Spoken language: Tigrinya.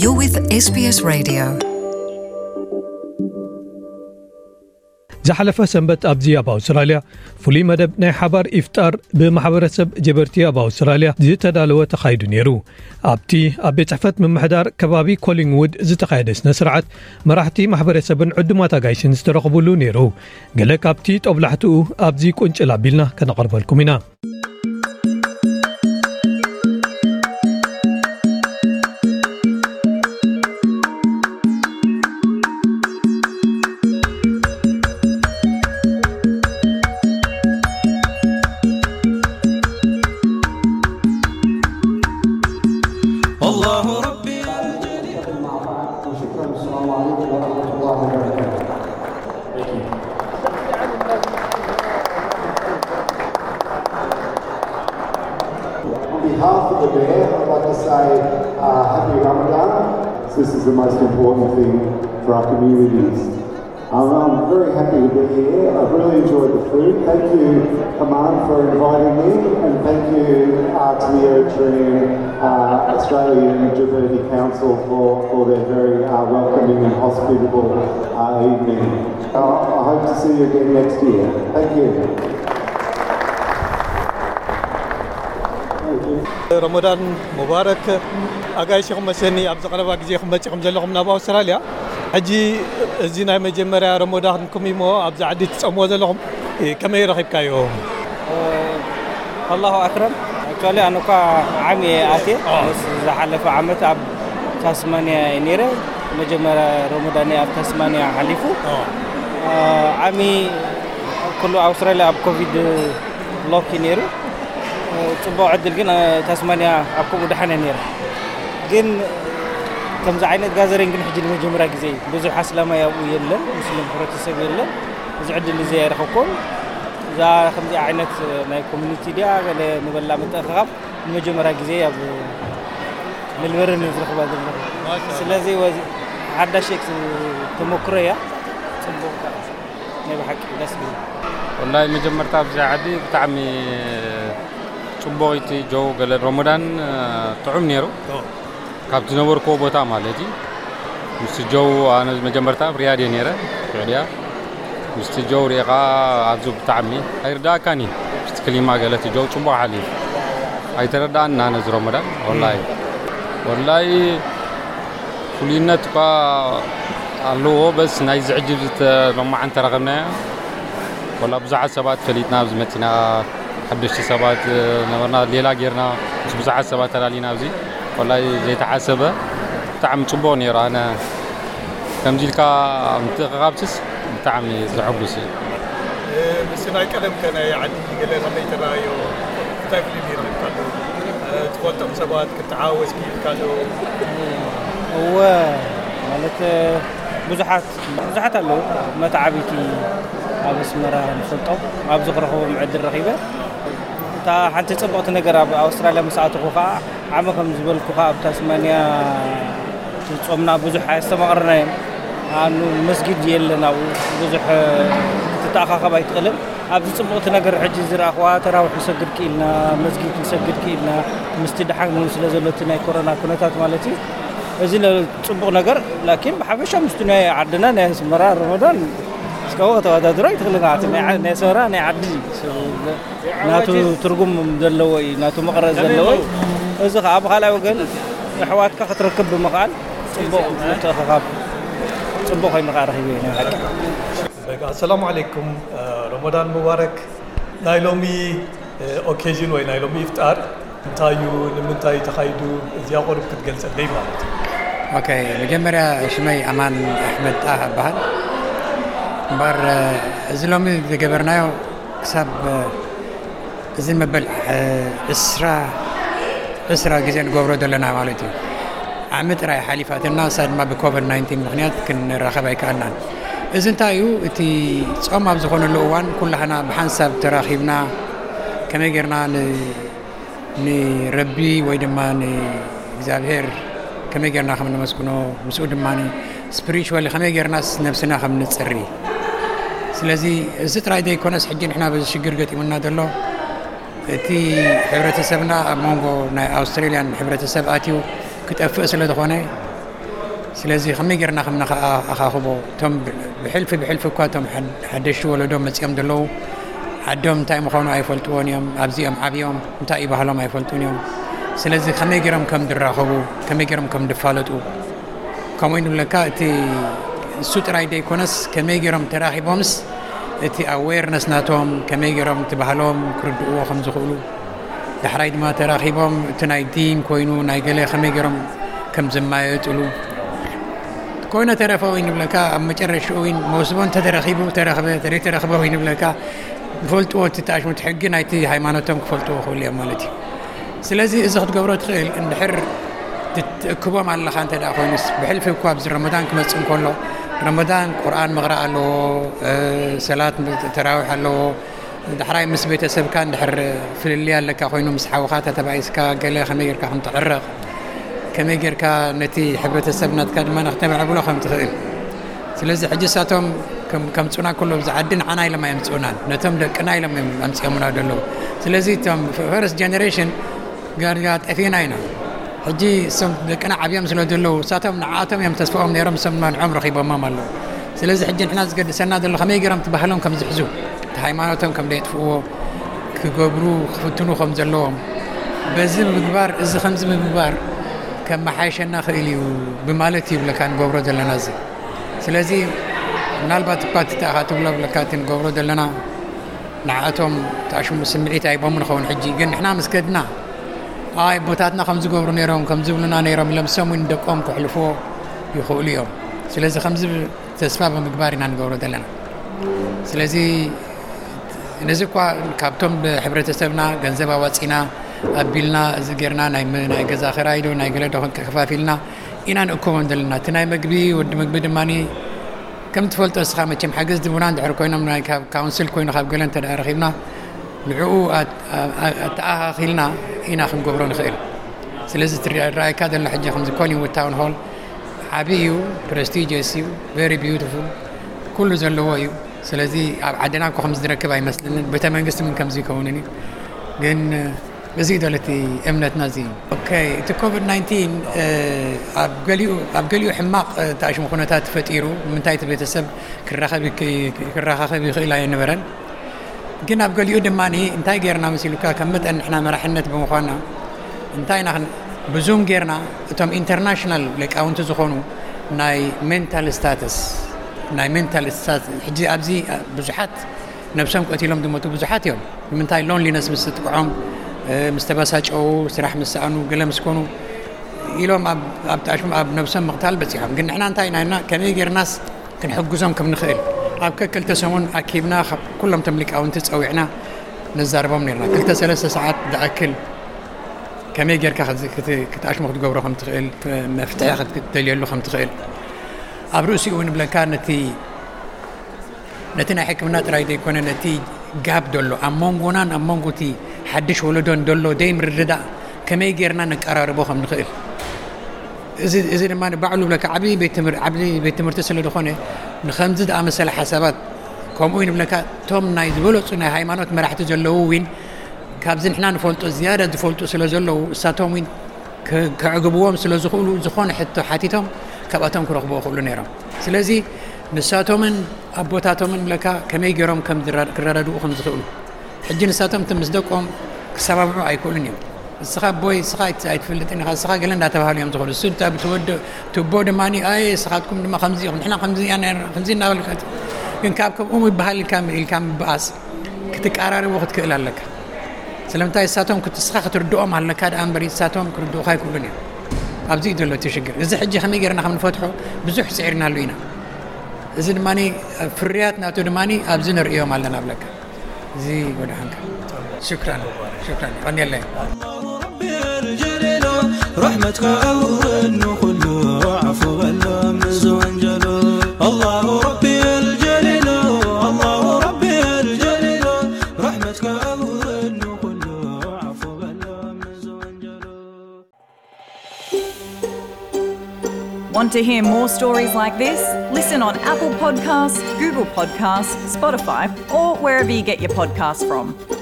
You're with S B S Radio. ዝሓለፈ ሰንበት ኣብዚ ኣብ ኣውስትራልያ ፍሉይ መደብ ናይ ሓባር ኢፍጣር ብማሕበረሰብ ጀበርቲ ኣብ ኣውስትራልያ ዝተዳለወ ተኻይዱ ነይሩ። ኣብቲ ኣብ ቤት ጽሕፈት ምምሕዳር ከባቢ ኮሊንግውድ ዝተኻየደ ስነ ስርዓት መራሕቲ ማሕበረሰብን ዕዱማት ኣጋይሽን ዝተረኽቡሉ ነይሩ። ገለ ካብቲ ጦብላሕትኡ ኣብዚ ቁንጭል ኣቢልና ከነቕርበልኩም ኢና። On behalf of the Mayor, I'd like to say uh, happy Ramadan. This is the most important thing for our communities. Um, I'm very happy to be here. I've really enjoyed the food. Thank you, Aman, for inviting me, and thank you uh, to the Eritrean uh, Australian Djibouti Council for, for their very uh, welcoming and hospitable uh, evening. Uh, I hope to see you again next year. Thank you. ረመዳን ሙባረክ። ኣጋይሽኹም መሰኒ ኣብዚ ቀረባ ግዜ ክመፅኹም ዘለኹም ናብ ኣውስትራልያ። ሕጂ እዚ ናይ መጀመርያ ረመዳንኩም እሞ ኣብዚ ዓዲ ትፀምዎ ዘለኹም፣ ከመይ ረኺብካዮ? ኣላሁ ኣክረም። ኣክቹዋሊ ኣነ እኳ ዓሚ እየ ኣትየ። ዝሓለፈ ዓመት ኣብ ታስማንያ እየ ነይረ። መጀመርያ ረመዳን ኣብ ታስማንያ ሓሊፉ። ዓሚ ኩሉ ኣውስትራልያ ኣብ ኮቪድ ሎክ እዩ ነይሩ። ጽቡቕ ዕድል ግን ታስማንያ ኣብ ከምኡ ደሓን እያ ነይራ። ግን ከምዚ ዓይነት ጋዘሪንግ ግን ሕጂ ንመጀመርያ ግዜ እዩ። ብዙሕ ኣስላማይ ኣብኡ የለን፣ ሙስሊም ሕብረተሰብ የለን። እዚ ዕድል እዚ ኣይረኸብኩን። እዛ ከምዚ ዓይነት ናይ ኮሚኒቲ ድያ ገለ ንበላ ምትእኽኻብ ንመጀመርያ ግዜ ኣብ ሜልበርን እየ ዝረኽባ ዘለኹ። ስለዚ ሓዳሽ ተመክሮ እያ። ጽቡቕ። ናይ ብሓቂ ደስ ዝብል። ወላሂ መጀመርታ ኣብዚ ዓዲ ብጣዕሚ ጽቡቕ እቲ ጀው ገለ ረመዳን ጥዑም ነይሩ። ካብ ዝነበርኩዎ ቦታ ማለት እዩ። ምስቲ ጀው ኣነ መጀመርታ ኣብ ሪያድ እየ ነይረ። ስዑድያ ምስቲ ጀው ሪእኻ ኣብዚ ብጣዕሚ ኣይርዳእካን እዩ። ምስቲ ክሊማ ገለ እቲ ጀው ጽቡቕ ሓሊፉ ኣይተረዳእና ነዚ ረመዳን ወላሂ ወላሂ ፍሉይነት እኳ ኣለዎ። በስ ናይዚ ሕጂ ዝተሎማዓን ተረኸብናዮ ወላ ብዙሓት ሰባት ፈሊጥና ኣብዚ መፂና ሓደሽቲ ሰባት ነበርና ሌላ ጌርና ምስ ብዙሓት ሰባት ተላሊና ኣብዚ ወላ ዘይተሓሰበ ብጣዕሚ ፅቡቕ ነይሩ። ኣነ ከምዚ ኢልካ ምትእኽኻብስስ ብጣዕሚ ዘሐጉስ እዩ። ምስ ናይ ቀደም ከ ናይ ዓዲ ገለ ከመይ ተረኣዮ? እንታይ ፍልይ ረኺብካሉ? ትፈልጦም ሰባት ክትተሓዋወስ ክኢልካሉ? እወ ማለት ብዙሓት ብዙሓት ኣለዉ መተዓብይቲ ኣብ ኣስመራ ንፈልጦም ኣብዚ ክረኽቦም ዕድል ረኺበ። እታ ሓንቲ ጽብቕቲ ነገር ኣብ ኣውስትራልያ ምስ ኣተኹ ኸዓ ዓመ ከም ዝበልኩኻ ኣብ ታስማንያ ጾምና ብዙሕ ኣየስተማቕርናዮን። ኣኑ መስጊድ የለን ኣብኡ ብዙሕ ክትተኣኻኸብ ኣይትኽእልን። ኣብዚ ጽቡቕቲ ነገር ሕጂ ዝረኣኽዋ ተራዊሕ ንሰግድ ክኢልና፣ መስጊድ ንሰግድ ክኢልና ምስቲ ደሓን ስለ ዘሎ እቲ ናይ ኮሮና ኩነታት ማለት እዩ። እዚ ለ- ጽቡቕ ነገር ላኪን ብሓፈሻ ምስቲ ናይ ዓድና ናይ ኣስመራ ረመዳን እስካብ ከተወዳድሮ ኣይትኽእልን። ኣቲ ናይ ዓ- ናይ ኣስመራ ናይ ዓዲ ናቱ ትርጉም ዘለዎ እዩ፣ ናቱ መቐረት ዘለዎ እዩ። እዚ ኸዓ ብኻልኣይ ወገን ኣሕዋትካ ክትረክብ ብምኽኣል ጽቡቕ ምትእኽኻብ ጽቡቕ ኮይኑ ኸዓ ረኺበ ናይ ሓቂ። ኣሰላሙ ዓለይኩም ረመዳን ሙባረክ። ናይ ሎሚ ኦኬዥን ወይ ናይ ሎሚ ኢፍጣር እንታይ እዩ? ንምንታይ እዩ ተኻይዱ? እዚኣ ቁሩብ ክትገልጸለይ ማለት እዩ። ኦኬ፣ መጀመርያ ሽመይ ኣማን ኣሕመድ ጣህ እበሃል። እምበር እዚ ሎሚ ዝገበርናዮ ክሳብ እዚ መበል ዕስራ ዕስራ ግዜ ንገብሮ ዘለና ማለት እዩ። ዓሚ ጥራይ ሓሊፋትና፣ እሳ ድማ ብኮቨድ ናይንቲን ምኽንያት ክንራኸብ ኣይከኣልናን። እዚ እንታይ እዩ? እቲ ጾም ኣብ ዝኾነሉ እዋን ኩላህና ብሓንሳብ ተራኺብና ከመይ ጌርና ን- ንረቢ ወይ ድማ ንእግዚኣብሔር ከመይ ጌርና ከም ነመስግኖ፣ ምስኡ ድማ ስፒሪቹዋሊ ከመይ ጌርናስ ነብስና ከም ንጽሪ። ስለዚ እዚ ጥራይ ዘይኮነስ ሕጂ ንሕና በዚ ሽግር ገጢሙና ዘሎ እቲ ሕብረተሰብና ኣብ መንጎ ናይ ኣውስትሬልያን ሕብረተሰብ ኣትዩ ክጠፍእ ስለ ዝኾነ ስለዚ ከመይ ጌርና ከም ነኸኣኻኽቦ? እቶም ብሕልፊ ብሕልፊ እኳ እቶም ሓደሽቲ ወለዶ መጺኦም ዘለዉ ዓዶም እንታይ ምዃኑ ኣይፈልጥዎን እዮም። ኣብዚኦም ዓብዮም እንታይ እዩ ባህሎም ኣይፈልጡን እዮም። ስለዚ ከመይ ገይሮም ከም ድራኸቡ፣ ከመይ ገይሮም ከም ድፋለጡ፣ ከምኡ ንብለካ። እቲ እሱ ጥራይ ደይኮነስ ከመይ ገይሮም ተራኺቦምስ እቲ ኣዌርነስ ናቶም ከመይ ገይሮም እቲ ባህሎም ክርድእዎ ከም ዝኽእሉ፣ ዳሕራይ ድማ ተራኺቦም እቲ ናይ ዲን ኮይኑ ናይ ገለ ከመይ ገይሮም ከም ዝማየጥሉ ኮይነ ተረፈ ወይ ንብለካ። ኣብ መጨረሽኡ ወይ መውስቦ እንተተረኺቡ ተረኽበ፣ ተደይተረኽበ ወይ ንብለካ። ዝፈልጥዎ እቲ ተኣሽሙት ሕጊ ናይቲ ሃይማኖቶም ክፈልጥዎ ክኽእሉ እዮም ማለት እዩ። ስለዚ እዚ ክትገብሮ ትኽእል እንድሕር ትእክቦም ኣለኻ እንተ ደኣ ኮይኑስ፣ ብሕልፊ እኳ ኣብዚ ረመዳን ክመጽእ እንከሎ ረመዳን ቁርኣን ምቕራእ ኣለዎ፣ ሰላት ተራዊሕ ኣለዎ። ዳሕራይ ምስ ቤተሰብካ እንድሕር ፍልልይ ኣለካ ኮይኑ ምስ ሓውኻ ተተባኢስካ ገለ ከመይ ጌርካ ከም ትዕረቕ፣ ከመይ ጌርካ ነቲ ሕብረተሰብ ናትካ ድማ ንክተማዕብሎ ከም ትኽእል። ስለዚ ሕጂ እሳቶም ከም- ከምጹና ኩሎ ኣብዚ ዓዲ ንዓና ኢሎም ኣየምጽኡናን፣ ነቶም ደቅና ኢሎም እዮም ኣምጺኦምና ዘለዉ። ስለዚ እቶም ፈርስት ጀነሬሽን ጋርጋ ጠፊእና ኢና። ሕጂ እሶም ደቅና ዓብዮም ስለ ዘለዉ እሳቶም ንዓኣቶም እዮም ተስፋኦም ነይሮም፣ እሶም ድማ ንዖም ረኺቦሞም ኣለዉ። ስለዚ ሕጂ ንሕና ዝገድሰና ዘሎ ከመይ ገይሮም እቲ ባህሎም ከም ዝሕዙ፣ እቲ ሃይማኖቶም ከም ደየጥፍእዎ ክገብሩ ክፍትኑ ከም ዘለዎም፣ በዚ ምግባር እዚ ከምዚ ምግባር ከመሓየሸና ክእል እዩ ብማለት እዩ ብለካ ንገብሮ ዘለና እዚ። ስለዚ ምናልባት እኳ እቲ ተኣኻ ትብሎ ብለካ እቲ ንገብሮ ዘለና ንዓኣቶም ተኣሽሙ ስምዒት ኣይቦም ንኸውን። ሕጂ ግን ንሕና ምስ ከድና ኣይ ኣቦታትና ከም ዝገብሩ ነይሮም ከም ዝብሉና ነይሮም ኢሎም ሰሙን ደቆም ክሕልፍዎ ይኽእሉ እዮም። ስለዚ ከምዚ ተስፋ ብምግባር ኢና ንገብሮ ዘለና። ስለዚ ነዚ እኳ ካብቶም ብሕብረተሰብና ገንዘብ ኣዋፂና ኣቢልና እዚ ጌርና ናይ መ- ናይ ገዛ ክራይ ዶ ናይ ገለ ዶ ከፋፊልና ኢና ንእከቦም ዘለና። እቲ ናይ መግቢ ወዲ መግቢ ድማ ከም ትፈልጦ እስኻ መቸም ሓገዝ ድቡና እንድሕር ኮይኖም ናይ ካብ ካውንስል ኮይኑ ካብ ገለ እንተ ደኣ ረኺብና ንዕኡ ኣት- ኣ- ኣተኣኻኺልና ኢና ክንገብሮ ንኽእል። ስለዚ እቲ ርኣይካ ዘሎ ሕጂ ከምዚ ኮሊንውድ ታውን ሆል ዓቢ እዩ፣ ፕረስቲጀስ እዩ፣ ቨሪ ቢዩቲፉል ኩሉ ዘለዎ እዩ። ስለዚ ኣብ ዓድና እኮ ከምዚ ዝረክብ ኣይመስለንን። ቤተ መንግስቲ ምን ከምዚ ይከውንን እዩ። ግን እዚ እዩ ዘሎ እቲ እምነትና እዚ እዩ። ኦኬ፣ እቲ ኮቪድ ናይንቲን ኣብ ገሊኡ ኣብ ገሊኡ ሕማቕ ተኣሽሙ ኩነታት ተፈጢሩ። ንምንታይ እቲ ቤተሰብ ክራኸብ ይክ- ክራኻኸብ ይኽእል ኣይነበረን። ግን ኣብ ገሊኡ ድማ እንታይ ጌርና መሲሉካ ከም መጠን ንሕና መራሕነት ብምዃና እንታይ ኢና ክን- ብዙም ጌርና እቶም ኢንተርናሽናል ሊቃውንቲ ዝኾኑ ናይ ሜንታል ስታተስ ናይ ሜንታል ስታተስ ሕጂ ኣብዚ ብዙሓት ነብሶም ቀቲሎም ዝሞቱ ብዙሓት እዮም። ንምንታይ ሎንሊነስ ምስ ዝጥቅዖም ምስ ተበሳጨው ስራሕ ምስ ሰኣኑ ገለ ምስ ኮኑ ኢሎም ኣብ ኣብ ተኣሽሙ ኣብ ነብሶም ምቕታል በፂሖም። ግን ንሕና እንታይ ኢና ኢልና ከመይ ጌርናስ ክንሕግዞም ከም ንኽእል ኣብ ከክልተ ሰሙን ኣኪብና ካብ ኩሎም ቶም ሊቃውንቲ ፀዊዕና ነዛርቦም ነርና። ክልተ ሰለስተ ሰዓት ዝኣክል ከመይ ጌርካ ክትኣሽሙ ክትገብሮ ከም ትኽእል መፍትሒ ክትደልየሉ ከም ትኽእል ኣብ ርእሲኡ ንብለካ ነቲ ነቲ ናይ ሕክምና ጥራይ ዘይኮነ ነቲ ጋብ ደሎ ኣብ መንጎናን ኣብ መንጎ እቲ ሓድሽ ወለዶን ደሎ ደይ ምርድዳእ ከመይ ጌርና ነቀራርቦ ከም ንኽእል እዚ ድማ ባዕሉ ብለካ ዓብዪ ቤት ትምህርቲ ስለ ዝኾነ ንኸምዚ ዝኣመሰለ ሓሳባት ከምኡ ንብለካ እቶም ናይ ዝበለፁ ናይ ሃይማኖት መራሕቲ ዘለዉ እውን ካብዚ ንሕና ንፈልጦ ዝያዳ ዝፈልጡ ስለ ዘለዉ እሳቶም እውን ከዕግብዎም ስለ ዝኽእሉ ዝኾነ ሕቶ ሓቲቶም ካብኣቶም ክረኽብዎ ክእሉ ነይሮም። ስለዚ ንሳቶምን ኣቦታቶምን ብለካ ከመይ ገይሮም ክረዳድኡ ከም ዝኽእሉ ሕጂ ንሳቶም ምስ ደቆም ክሰማምዑ ኣይክእሉን እዮም። እስኻ ኣቦይ እስኻ ኣይትፈልጥን ኢኻ እስኻ ገለ እንዳተባሃሉ እዮም ዝኸዱ። እሱ ትቦ ድማ ኣይ እስኻትኩም ድማ ከምዚ ኢኹም ንሕና ከምዚ ኢና ነርና ከምዚ እናበልካ ግን ካብ ከምኡ ይበሃል ኢልካ ኢልካ ምብኣስ ክትቀራረቡ ክትክእል ኣለካ። ስለምንታይ እሳቶም እስኻ ክትርድኦም ኣለካ ደኣ እምበር እሳቶም ክርድኡኻ ኣይክእሉን እዮም። ኣብዚ እዩ ዘሎ እቲ ሽግር። እዚ ሕጂ ከመይ ገይርና ከም ንፈትሖ ብዙሕ ፅዒርናሉ ኢና። እዚ ድማ ፍርያት ናቱ ድማ ኣብዚ ንርእዮም ኣለና ብለካ። እዚ ወድሓንካ። ሽክራን ሽክራን ቀንየለይ። ረሕመትካ ኣውርድ ንኹሉ ዓፉ በሎም እዚ ወንጀሉ ኣላሁ ረቢ ኣልጀሊሉ ኣላሁ ረቢ ኣልጀሊሉ ረሕመትካ ኣውርድ ንኹሉ ዓፉ በሎም እዚ ወንጀሉ Want to hear more stories like this? Listen on Apple Podcasts, Google Podcasts, Spotify, or wherever you get your podcasts from.